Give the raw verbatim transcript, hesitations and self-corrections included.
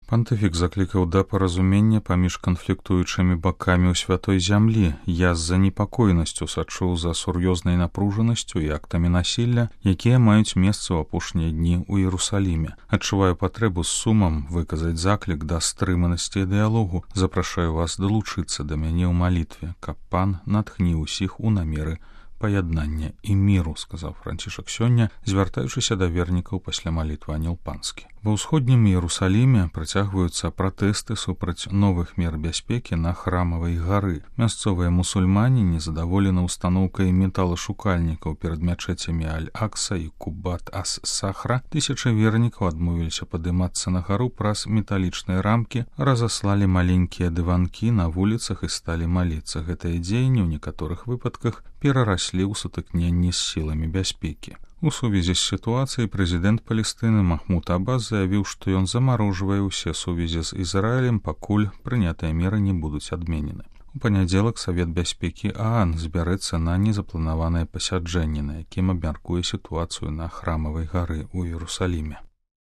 Пантыфік заклікаў да паразумення паміж канфліктуючымі бакамі ў святой зямлі. Я з занепакоенасцю сачу за сур'ёзнай напружанасцю і актамі насілля, якія маюць месца ў апошнія дні ў Іерусаліме. Адчуваю патрэбу з сумам выказаць заклік да стрыманасці і дыялогу. Запрашаю вас далучыцца да мяне ў малітве, каб пан натхніў усіх у намеры паяднання і міру, сказаў Францішак сёння, звяртаючыся да вернікаў пасля малітвы Анёл Панскі. Ва ўсходнім Іерусаліме працягваюцца пратэсты супраць новых мер бяспекі на храмавай гары. Мясцовыя мусульмане незадаволены устаноўкай металашукальнікаў перад мячэцямі Аль-Акса і Кубат-ас-Сахра. Тысячы вернікаў адмовіліся падымацца на гару праз металічныя рамкі, разаслалі маленькія дыванкі на вуліцах і сталі маліцца. Гэтыя дзеянні ў некаторых выпадках перараслі ў сутыкненні з сіламі бяспекі. У сувязі з сітуацыяй прэзідэнт Палестыны Махмуд Аббас заявіў, што ён замарожвае ўсе сувязі з Ізраілем, пакуль прынятыя меры не будуць адменены. У панядзелак Савет бяспекі ААН збярэцца на незапланаванае пасяджэнне, на якім абмяркуе сітуацыю на храмавай гары ў Іерусаліме.